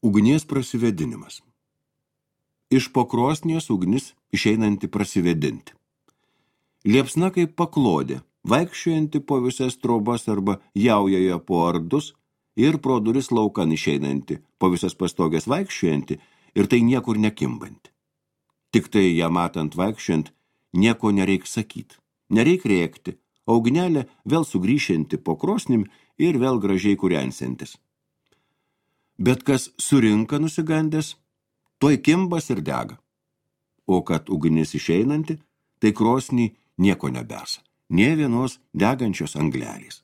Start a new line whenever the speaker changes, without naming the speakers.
Ugnies prasivedinimas. Iš po krosnies ugnis išeinanti prasivedinti. Liepsna kaip paklodė, vaikščiojanti po visas trobas arba jaujoje po ardus ir pro duris laukan išeinanti, po visas pastogės vaikščiojanti ir tai niekur nekimbanti. Tik tai ją matant vaikščiant, nieko nereik sakyt, nereik rėkti, o ugnelė vėl sugrįšianti po krosnim ir vėl gražiai kūrensiantis. Bet kas surinka nusigandęs, toj kimbas ir dega. O kad ugnis išeinanti, tai krosnį nieko nebesa, nė vienos degančios anglelės.